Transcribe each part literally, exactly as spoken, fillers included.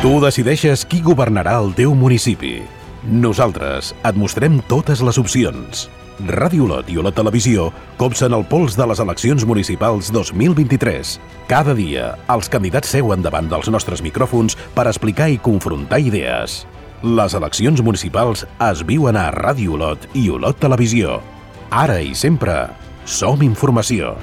Tu decideixes qui governarà el teu municipi. Nosaltres et mostrem totes les opcions. Ràdio Olot i Olot Televisió copsen el pols de les eleccions municipals dos mil vint-i-tres. Cada dia, els candidats seuen davant dels nostres micròfons per explicar i confrontar idees. Les eleccions municipals es viuen a Ràdio Olot i Olot Televisió. Ara i sempre, som informació.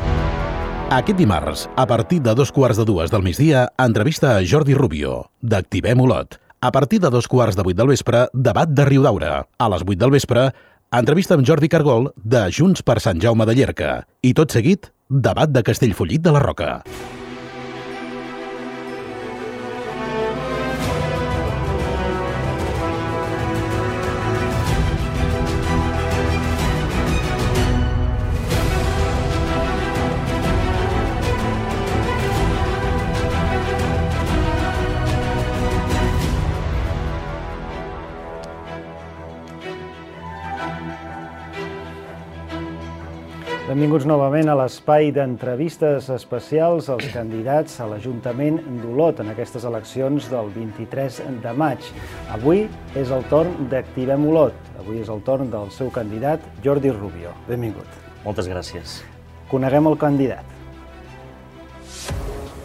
Aquest dimarts, a partir de dos quarts de dues del migdia, entrevista a Jordi Rubio, d'Activem Olot. A partir de dos quarts de vuit del vespre, debat de Riudaura. A les vuit del vespre, entrevista amb Jordi Cargol, de Junts per Sant Jaume de Llierca. I tot seguit, debat de Castellfollit de la Roca. Benvinguts novament a l'espai d'entrevistes especials als candidats a l'Ajuntament d'Olot en aquestes eleccions del vint-i-tres de maig. Avui és el torn d'Activem Olot. Avui és el torn del seu candidat, Jordi Rubio. Benvingut. Moltes gràcies. Coneguem el candidat.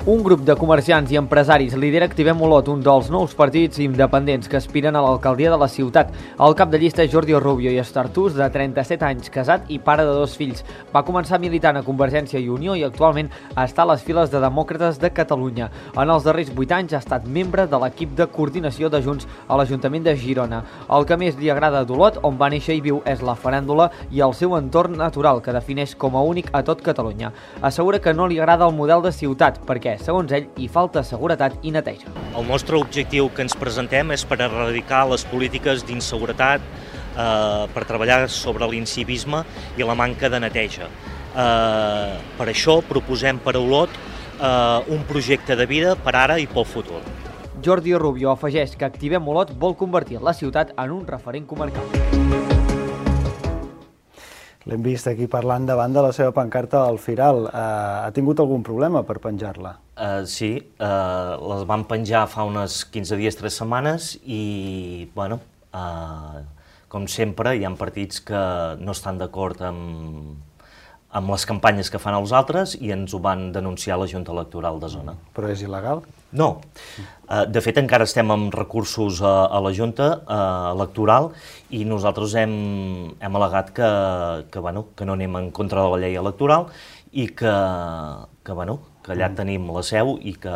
Un grup de comerciants i empresaris lidera Activem Olot, un dels nous partits independents que aspiren a l'alcaldia de la ciutat. El cap de llista és Jordi Rubio i Estartús, de trenta-set anys, casat i pare de dos fills. Va començar militant a Convergència i Unió i actualment està a les files de Demòcrates de Catalunya. En els darrers vuit anys ha estat membre de l'equip de coordinació de Junts a l'Ajuntament de Girona. El que més li agrada d'Olot, on va néixer i viu, és la faràndula i el seu entorn natural, que defineix com a únic a tot Catalunya. Assegura que no li agrada el model de ciutat, perquè segons ell, hi falta seguretat i neteja. El nostre objectiu que ens presentem és per erradicar les polítiques d'inseguretat, eh, per treballar sobre l'incivisme i la manca de neteja. Eh, per això proposem per a Olot eh, un projecte de vida per ara i pel futur. Jordi Rubio afegeix que Activem Olot vol convertir la ciutat en un referent comarcal. L'hem vist aquí parlant davant de la seva pancarta al Firal. Uh, ha tingut algun problema per penjar-la? Uh, sí, uh, les vam penjar fa unes quinze dies, tres setmanes i, bueno, uh, com sempre, hi ha partits que no estan d'acord amb, amb les campanyes que fan els altres i ens ho van denunciar a la Junta Electoral de Zona. Però és il·legal? No. Uh, de fet, encara estem amb recursos a, a la Junta uh, Electoral i nosaltres hem, hem al·legat que, que, bueno, que no anem en contra de la llei electoral i que, que, bueno, que allà tenim la seu i que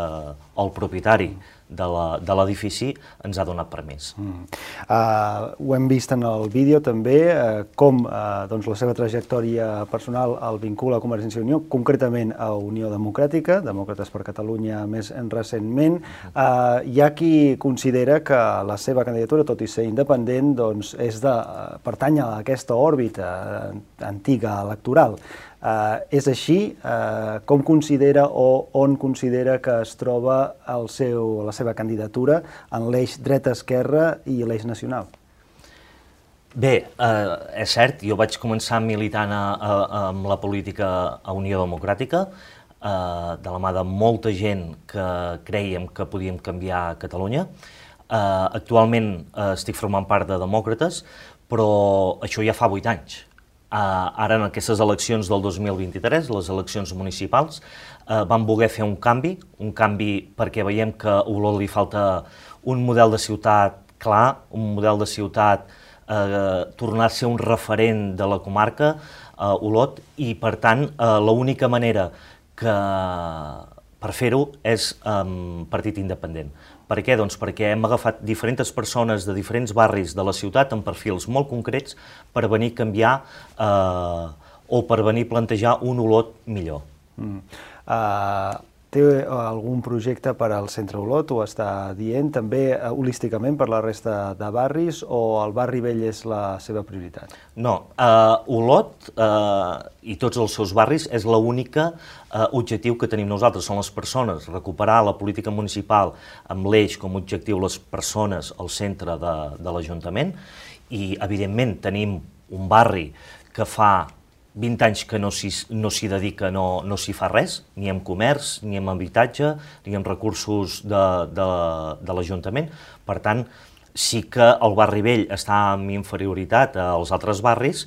el propietari de l'edifici ens ha donat permís. Mm. Uh, ho hem vist en el vídeo també, uh, com uh, doncs la seva trajectòria personal el vincula a Convergència i Unió, concretament a Unió Democràtica, Demòcrates per Catalunya més recentment. Uh, hi ha qui considera que la seva candidatura, tot i ser independent, doncs és de uh, pertany a aquesta òrbita uh, antiga electoral. Uh, és així? Uh, com considera o on considera que es troba el seu, la seva candidatura en l'eix dreta-esquerra i l'eix nacional? Bé, eh, és cert, jo vaig començar militant a, a, amb la política a Unió Democràtica, eh, de la mà de molta gent que creiem que podíem canviar Catalunya. Eh, actualment eh, estic formant part de Demòcrates, però això ja fa vuit anys. Uh, ara en aquestes eleccions del dos mil vint-i-tres, les eleccions municipals, uh, vam voler fer un canvi, un canvi perquè veiem que a Olot li falta un model de ciutat clar, un model de ciutat uh, tornar a ser un referent de la comarca, uh, Olot, i per tant uh, l'única manera que per fer-ho és um, partit independent. Per què? Doncs perquè hem agafat diferents persones de diferents barris de la ciutat amb perfils molt concrets per venir a canviar eh, o per venir a plantejar un Olot millor. Mm. Uh, té algun projecte per al centre Olot, ho està dient, també uh, holísticament per la resta de barris, o el barri vell és la seva prioritat? No, uh, Olot uh, i tots els seus barris és l'única uh, objectiu que tenim nosaltres, són les persones, recuperar la política municipal amb l'eix com a objectiu les persones al centre de, de l'Ajuntament i, evidentment, tenim un barri que fa vint anys que no s'hi no s'hi dedica, no, no s'hi fa res, ni en comerç, ni en habitatge, ni en recursos de, de, de l'Ajuntament. Per tant, sí que el barri vell està en inferioritat als altres barris,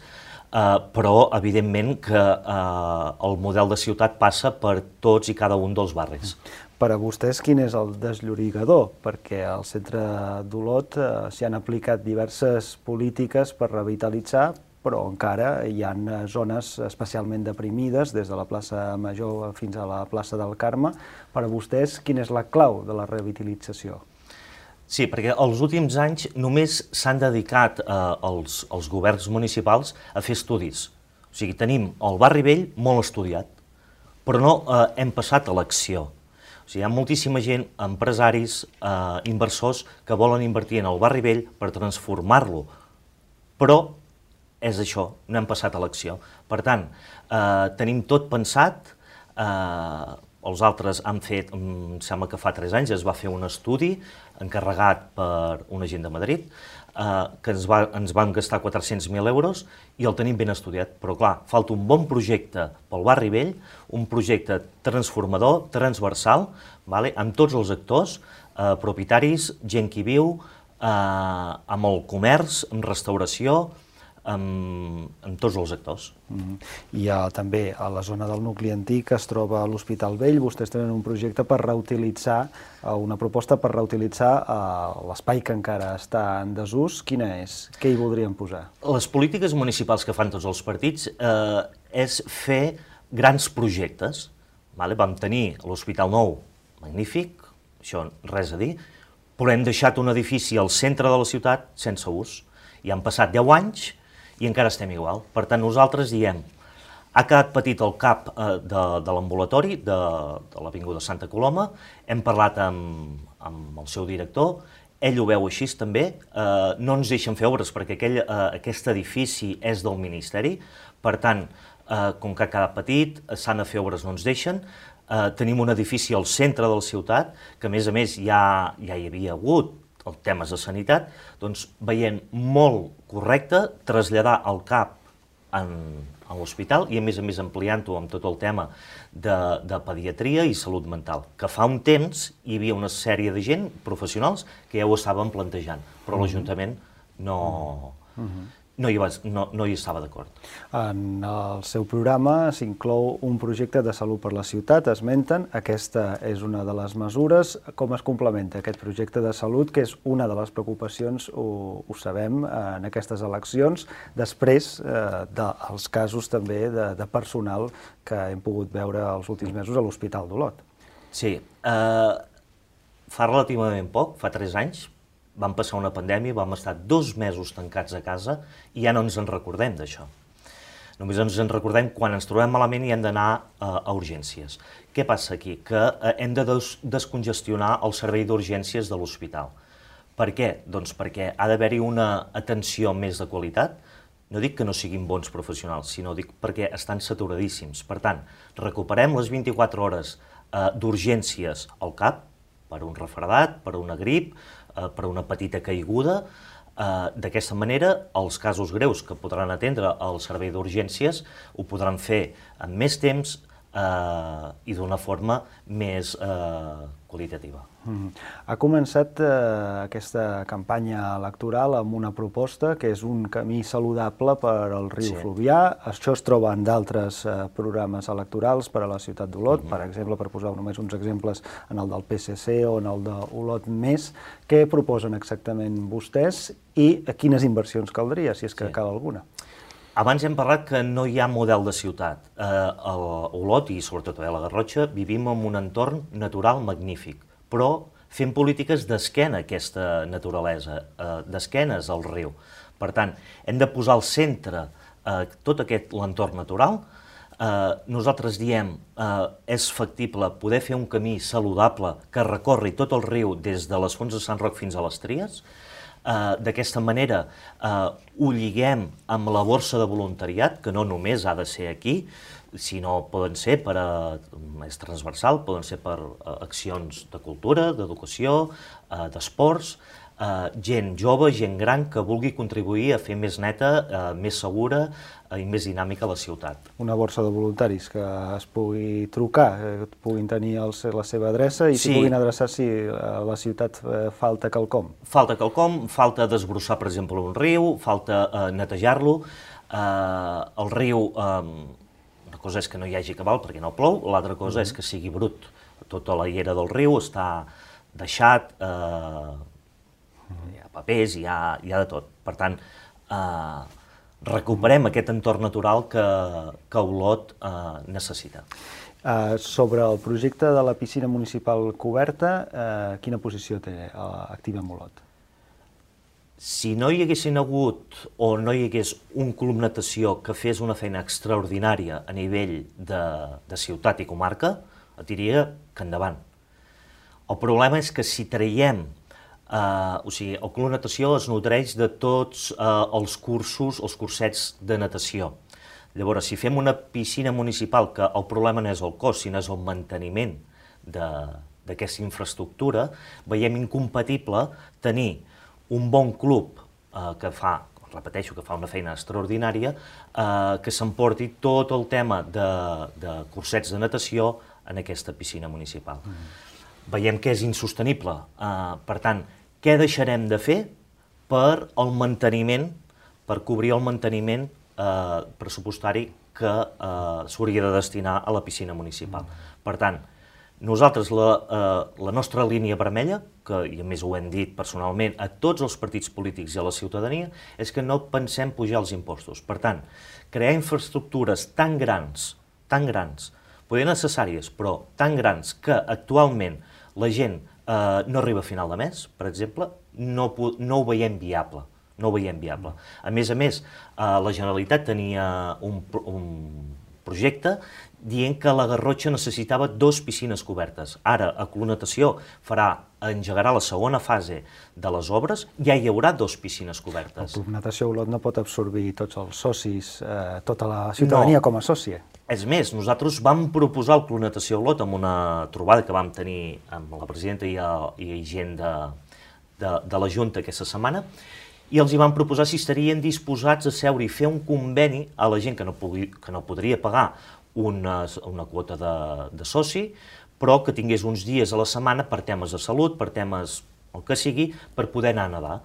eh, però evidentment que eh, el model de ciutat passa per tots i cada un dels barris. Per a vostès, quin és el desllorigador? Perquè al centre d'Olot eh, s'hi han aplicat diverses polítiques per revitalitzar, però encara hi ha zones especialment deprimides, des de la plaça Major fins a la plaça del Carme. Per a vostès, quina és la clau de la revitalització? Sí, perquè els últims anys només s'han dedicat eh, els, els governs municipals a fer estudis. O sigui, tenim el barri vell molt estudiat, però no eh, hem passat a l'acció. O sigui, hi ha moltíssima gent, empresaris, eh, inversors, que volen invertir en el barri vell per transformar-lo, però és això, no hem passat a l'acció. Per tant, eh, tenim tot pensat, eh, els altres han fet, em sembla que fa tres anys es va fer un estudi encarregat per una gent de Madrid, eh, que ens, va, ens van gastar quatre-cents mil euros i el tenim ben estudiat. Però clar, falta un bon projecte pel barri vell, un projecte transformador, transversal, vale, amb tots els actors, eh, propietaris, gent que hi viu, eh, amb el comerç, amb restauració, amb, amb tots els actors. Mm. I ha, també a la zona del nucli antic es troba l'Hospital Vell. Vostès tenen un projecte per reutilitzar, una proposta per reutilitzar l'espai que encara està en desús. Quina és? Què hi voldrien posar? Les polítiques municipals que fan tots els partits eh, és fer grans projectes. Vale? Vam tenir l'Hospital Nou, magnífic, això res a dir, però hem deixat un edifici al centre de la ciutat sense ús. I han passat deu anys i encara estem igual. Per tant, nosaltres diem, ha quedat petit el cap eh, de, de l'ambulatori de, de l'Avinguda Santa Coloma, hem parlat amb, amb el seu director, ell ho veu així també, eh, no ens deixen fer obres perquè aquell, eh, aquest edifici és del Ministeri, per tant, eh, com que ha quedat petit, s'han de fer obres, no ens deixen, eh, tenim un edifici al centre de la ciutat, que a més a més ja, ja hi havia hagut els temes de sanitat, doncs veient molt correcte traslladar el cap en, en l'hospital i a més a més ampliant-ho amb tot el tema de, de pediatria i salut mental, que fa un temps hi havia una sèrie de gent, professionals, que ja ho estaven plantejant, però mm-hmm. l'Ajuntament no, mm-hmm. no, hi va, no, no hi estava d'acord. En el seu programa s'inclou un projecte de salut per la ciutat, esmenten, aquesta és una de les mesures. Com es complementa aquest projecte de salut, que és una de les preocupacions, ho, ho sabem, en aquestes eleccions, després eh, dels casos també de, de personal que hem pogut veure els últims mesos a l'Hospital d'Olot? Sí, eh, fa relativament poc, fa tres anys, vam passar una pandèmia, vam estar dos mesos tancats a casa i ja no ens en recordem d'això. Només ens en recordem quan ens trobem malament i hem d'anar uh, a urgències. Què passa aquí? Que uh, hem de des descongestionar el servei d'urgències de l'hospital. Per què? Doncs perquè ha d'haver-hi una atenció més de qualitat. No dic que no siguin bons professionals, sinó dic perquè estan saturadíssims. Per tant, recuperem les vint-i-quatre hores uh, d'urgències al cap, per un refredat, per una grip, per una petita caiguda. D'aquesta manera, els casos greus que podran atendre al servei d'urgències ho podran fer amb més temps eh, i d'una forma més eh, qualitativa. Mm. Ha començat eh, aquesta campanya electoral amb una proposta que és un camí saludable per al riu sí. Fluvià. Això es troba en d'altres eh, programes electorals per a la ciutat d'Olot, mm-hmm. per exemple, per posar només uns exemples, en el del P S C o en el d'Olot Més. Què proposen exactament vostès i quines inversions caldria, si és que sí. cal alguna? Abans hem parlat que no hi ha model de ciutat. Eh, a Olot, i sobretot a la Garrotxa, vivim en un entorn natural magnífic, però fem polítiques d'esquena a aquesta naturalesa, eh, d'esquenes al riu. Per tant, hem de posar al centre eh, tot aquest l'entorn natural. Eh, nosaltres diem eh, és factible poder fer un camí saludable que recorri tot el riu des de les Fonts de Sant Roc fins a les Tries. Uh, d'aquesta manera uh, ho lliguem amb la borsa de voluntariat, que no només ha de ser aquí, sinó poden ser per a, és transversal, poden ser per a accions de cultura, d'educació, uh, d'esports, gent jove, gent gran, que vulgui contribuir a fer més neta, més segura i més dinàmica la ciutat. Una borsa de voluntaris que es pugui trucar, que puguin tenir la seva adreça i s'hi puguin adreçar si a la ciutat falta quelcom. Falta quelcom, falta desbrossar, per exemple, un riu, falta netejar-lo. El riu, una cosa és que no hi hagi cabal perquè no plou, l'altra cosa és que sigui brut. Tota la llera del riu està deixat, hi ha papers, hi ha de tot. Per tant, recuperem aquest entorn natural que Olot necessita. Sobre el projecte de la piscina municipal coberta, quina posició té Activem Olot? Si no hi haguessin hagut o no hi hagués un club natació que fes una feina extraordinària a nivell de ciutat i comarca, et diria que endavant. El problema és que si traiem, o sigui, el club natació es nodreix de tots els cursos, els cursets de natació. Llavors, si fem una piscina municipal, que el problema no és el cost, sinó és el manteniment d'aquesta infraestructura, veiem incompatible tenir un bon club que fa, repeteixo, que fa una feina extraordinària, que s'emporti tot el tema de cursets de natació en aquesta piscina municipal. Veiem que és insostenible. Per tant, què deixarem de fer per el manteniment, per cobrir el manteniment pressupostari que s'hauria de destinar a la piscina municipal? Per tant, nosaltres, la nostra línia vermella, que i a més ho hem dit personalment a tots els partits polítics i a la ciutadania, és que no pensem pujar els impostos. Per tant, crear infraestructures tan grans, tan grans, poder necessàries, però tan grans que actualment la gent no arriba a final de mes, per exemple, no ho veiem viable. No ho veiem viable. A més a més, la Generalitat tenia un projecte dient que la Garrotxa necessitava dues piscines cobertes. Ara, a Club Natació engegarà la segona fase de les obres, ja hi haurà dues piscines cobertes. El Club Natació Olot no pot absorbir tots els socis, tota la ciutadania com a sòcia. És més, nosaltres vam proposar el Club Natació Olot amb una trobada que vam tenir amb la presidenta i gent de la Junta aquesta setmana, i els hi van proposar si estarien disposats a seure i fer un conveni a la gent que no podria pagar una quota de soci, però que tingués uns dies a la setmana per temes de salut, per temes el que sigui, per poder anar a nedar.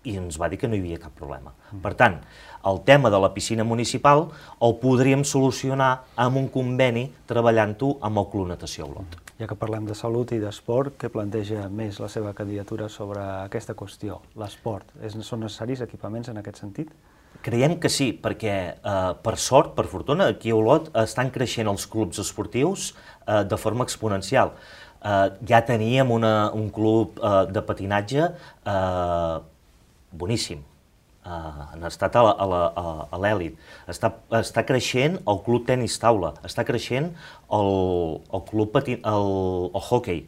I ens va dir que no hi havia cap problema. Per tant, el tema de la piscina municipal el podríem solucionar amb un conveni treballant-ho amb el Club Natació Olot. Ja que parlem de salut i d'esport, què planteja més la seva candidatura sobre aquesta qüestió, l'esport? Són necessaris equipaments en aquest sentit? Creiem que sí, perquè per sort, per fortuna, aquí a Olot estan creixent els clubs esportius de forma exponencial. Ja teníem un club de patinatge boníssim, han estat a l'èlit. Està creixent el club tenis taula, està creixent el club hoquei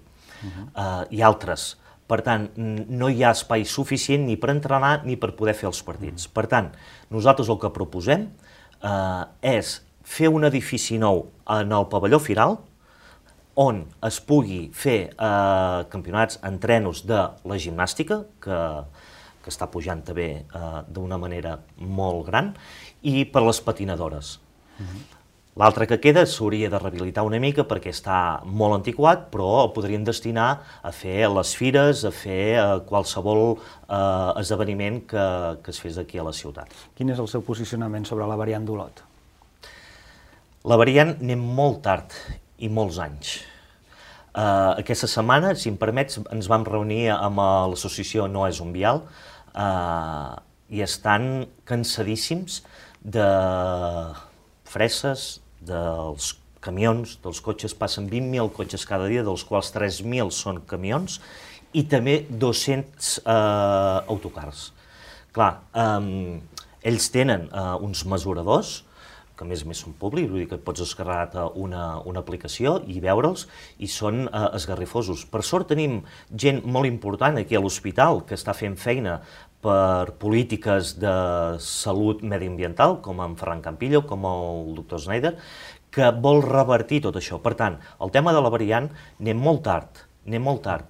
i altres. Per tant, no hi ha espai suficient ni per entrenar ni per poder fer els partits. Per tant, nosaltres el que proposem és fer un edifici nou en el pavelló Firal on es pugui fer campionats, entrenos de la gimnàstica, que que està pujant també d'una manera molt gran, i per les patinadores. L'altre que queda s'hauria de rehabilitar una mica perquè està molt antiquat, però el podríem destinar a fer les fires, a fer qualsevol esdeveniment que es fes aquí a la ciutat. Quin és el seu posicionament sobre la variant d'Olot? La variant anem molt tard i molts anys. Aquesta setmana, si em permets, ens vam reunir amb l'associació No és un vial i estan cansadíssims de freses, dels camions, dels cotxes, passen vint mil cotxes cada dia, dels quals tres mil són camions, i també dos-cents autocars. Clar, ells tenen uns mesuradors, que a més a més són públics, vull dir que pots descarregar una aplicació i veure'ls, i són esgarrifosos. Per sort tenim gent molt important aquí a l'hospital que està fent feina per polítiques de salut mediambiental, com en Ferran Campillo, com el doctor Schneider, que vol revertir tot això. Per tant, el tema de la variant anem molt tard, anem molt tard.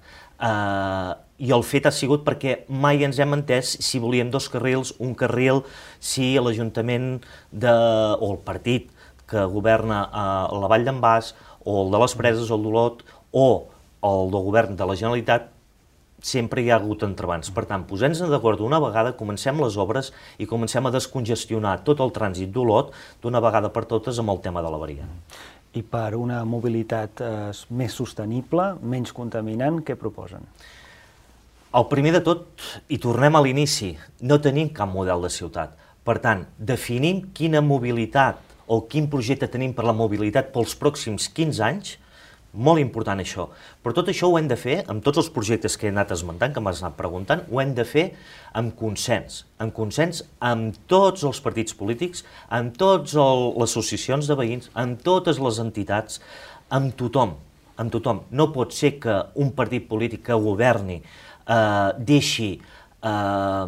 i el fet ha sigut perquè mai ens hem entès si volíem dos carrils, un carril, si l'Ajuntament de, o el partit que governa a la Vall d'en Bas, o el de les Preses, o el d'Olot, o el del govern de la Generalitat, sempre hi ha hagut entrebancs. Per tant, posem-nos d'acord d'una vegada, comencem les obres i comencem a descongestionar tot el trànsit d'Olot d'una vegada per totes amb el tema de la variant. I per una mobilitat eh, més sostenible, menys contaminant, què proposen? El primer de tot, i tornem a l'inici, no tenim cap model de ciutat. Per tant, definim quina mobilitat o quin projecte tenim per la mobilitat pels pròxims quinze anys. Molt important això, però tot això ho hem de fer, amb tots els projectes que he anat esmentant, que m'has anat preguntant, ho hem de fer amb consens, amb consens amb tots els partits polítics, amb totes les associacions de veïns, amb totes les entitats, amb tothom, amb tothom. No pot ser que un partit polític que governi eh, deixi eh,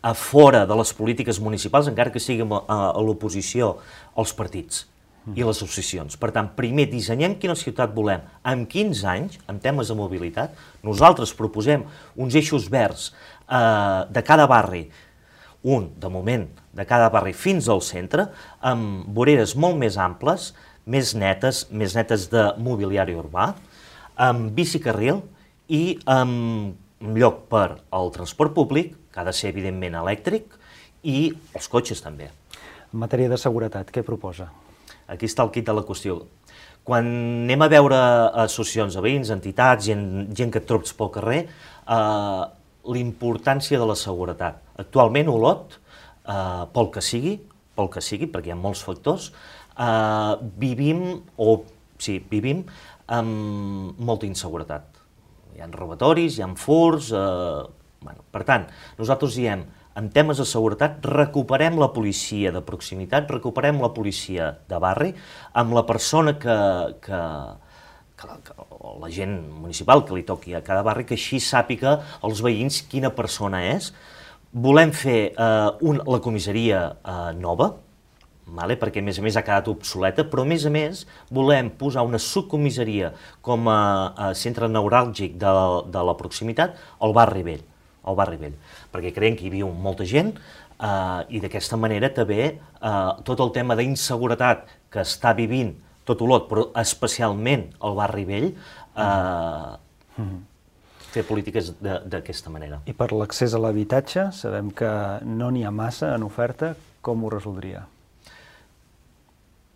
a fora de les polítiques municipals, encara que sigui a, a l'oposició, els partits i les associacions. Per tant, primer dissenyem quina ciutat volem. En quinze anys, en temes de mobilitat, nosaltres proposem uns eixos verds eh, de cada barri, un, de moment, de cada barri fins al centre, amb voreres molt més amples, més netes, més netes de mobiliari urbà, amb bicicarril i amb lloc per al transport públic, que ha de ser, evidentment, elèctric, i els cotxes també. En matèria de seguretat, què proposa? Aquí està el quid de la qüestió. Quan anem a veure associacions de veïns, entitats, gent, gent que et trobes pel carrer, eh, l'importància de la seguretat. Actualment, Olot, eh, pel que sigui, pel que sigui, perquè hi ha molts factors, eh, vivim, o sí, vivim amb molta inseguretat. Hi ha robatoris, hi ha furts, eh, bueno, per tant, nosaltres diem, en temes de seguretat, recuperem la policia de proximitat, recuperem la policia de barri, amb la persona que, que, que, la, que la gent municipal que li toqui a cada barri, que així sàpiga els veïns quina persona és. Volem fer eh, un, la comissaria eh, nova, vale? Perquè a més a més ha quedat obsoleta, però a més a més volem posar una subcomissaria com a, a centre neuràlgic de, de la proximitat al barri vell. al barri vell, perquè creiem que hi viu molta gent eh, i d'aquesta manera també eh, tot el tema d'inseguretat que està vivint tot Olot, però especialment el barri vell, eh, mm. fer polítiques d'aquesta manera. I per l'accés a l'habitatge, sabem que no n'hi ha massa en oferta, com ho resoldria?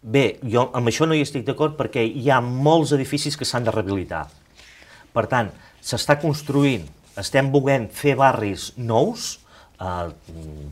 Bé, jo amb això no hi estic d'acord perquè hi ha molts edificis que s'han de rehabilitar. Per tant, s'està construint, estem volent fer barris nous, el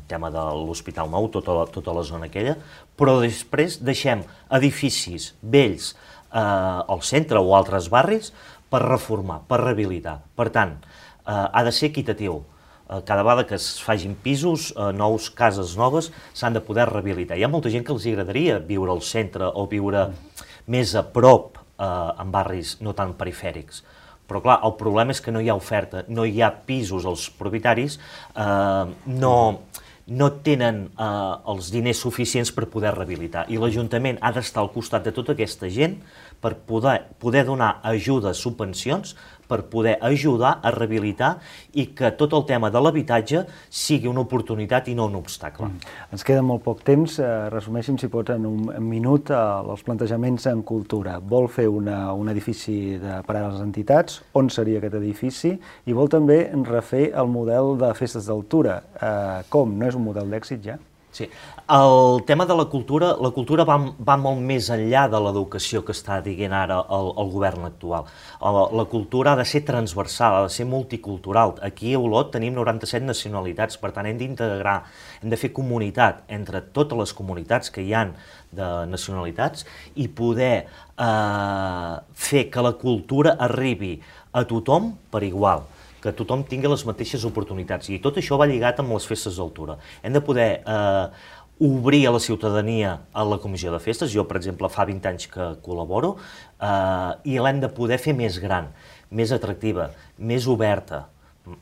tema de l'Hospital Nou, tota la, tota la zona aquella, però després deixem edificis vells eh, al centre o altres barris per reformar, per rehabilitar. Per tant, eh, ha de ser equitatiu. Eh, cada vegada que es facin pisos, eh, nous, cases noves, s'han de poder rehabilitar. Hi ha molta gent que els agradaria viure al centre o viure més a prop eh, en barris no tan perifèrics. Però clar, el problema és que no hi ha oferta, no hi ha pisos, els propietaris eh, no, no tenen eh, els diners suficients per poder rehabilitar. I l'Ajuntament ha d'estar al costat de tota aquesta gent per poder, poder donar ajudes, subvencions, per poder ajudar a rehabilitar i que tot el tema de l'habitatge sigui una oportunitat i no un obstacle. Mm. Ens queda molt poc temps. Eh, resumeixin, si pots, en un minut eh, els plantejaments en cultura. Vol fer una, un edifici de, per a les entitats, on seria aquest edifici, i vol també refer el model de festes d'altura. Eh, com? No és un model d'èxit ja? Sí. El tema de la cultura, la cultura va, va molt més enllà de l'educació que està dient ara el, el govern actual. La cultura ha de ser transversal, ha de ser multicultural. Aquí a Olot tenim noranta-set nacionalitats, per tant hem d'integrar, hem de fer comunitat entre totes les comunitats que hi ha de nacionalitats i poder eh, fer que la cultura arribi a tothom per igual, que tothom tingui les mateixes oportunitats. I tot això va lligat amb les festes d'altura. Hem de poder eh, obrir a la ciutadania a la comissió de festes. Jo, per exemple, fa vint anys que col·laboro, eh, i l'hem de poder fer més gran, més atractiva, més oberta,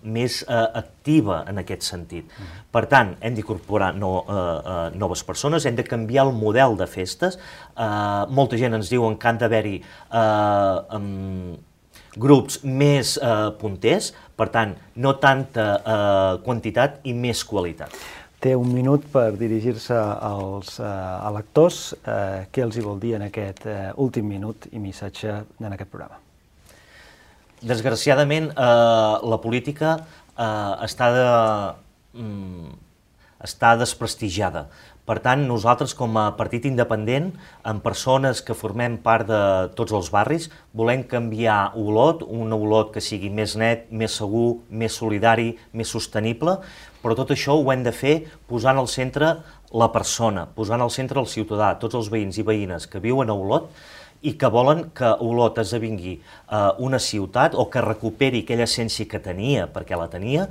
més eh, activa en aquest sentit. Mm. Per tant, hem d'incorporar no, eh, eh, noves persones, hem de canviar el model de festes. Eh, molta gent ens diuen que han d'haver-hi eh, um, grups més eh, punters, per tant, no tanta eh, quantitat i més qualitat. Té un minut per dirigir-se als eh, electors. Eh, què els hi vol dir en aquest eh, últim minut i missatge en aquest programa? Desgraciadament, eh, la política eh, està, de, mm, està desprestigiada. Per tant, nosaltres, com a partit independent, amb persones que formem part de tots els barris, volem canviar Olot, un Olot que sigui més net, més segur, més solidari, més sostenible, però tot això ho hem de fer posant al centre la persona, posant al centre el ciutadà, tots els veïns i veïnes que viuen a Olot i que volen que Olot esdevingui eh, una ciutat o que recuperi aquella essència que tenia, perquè la tenia,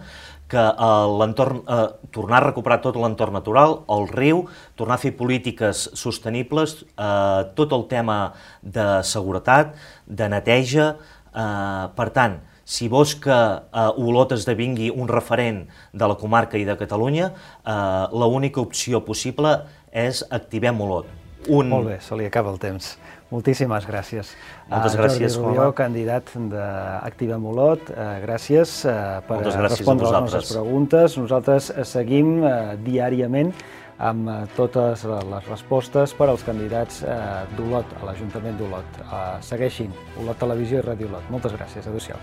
que eh, l'entorn, eh, tornar a recuperar tot l'entorn natural, el riu, tornar a fer polítiques sostenibles, eh, tot el tema de seguretat, de neteja. Eh, per tant, si vols que eh, Olot esdevingui un referent de la comarca i de Catalunya, eh, l'única opció possible és Activem Olot. Un... Molt bé, se li acaba el temps. Moltíssimes gràcies. Moltes gràcies, Jordi Rubió, candidat d'Activem Olot, eh, gràcies eh, per gràcies respondre a les nostres preguntes. Nosaltres seguim eh, diàriament amb eh, totes les respostes per als candidats eh, d'Olot, a l'Ajuntament d'Olot. Eh, segueixin Olot Televisió i Ràdio Olot. Moltes gràcies. Adéu-siau.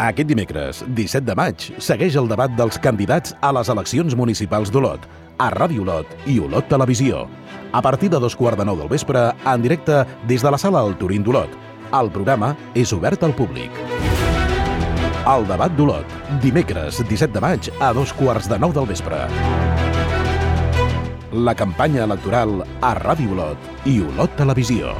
Aquest dimecres, disset de maig, segueix el debat dels candidats a les eleccions municipals d'Olot, a Ràdio Olot i Olot Televisió. A partir de dos quarts de nou del vespre, en directe des de la sala El Turín d'Olot. El programa és obert al públic. El debat d'Olot, dimecres, disset de maig, a dos quarts de nou del vespre. La campanya electoral a Ràdio Olot i Olot Televisió.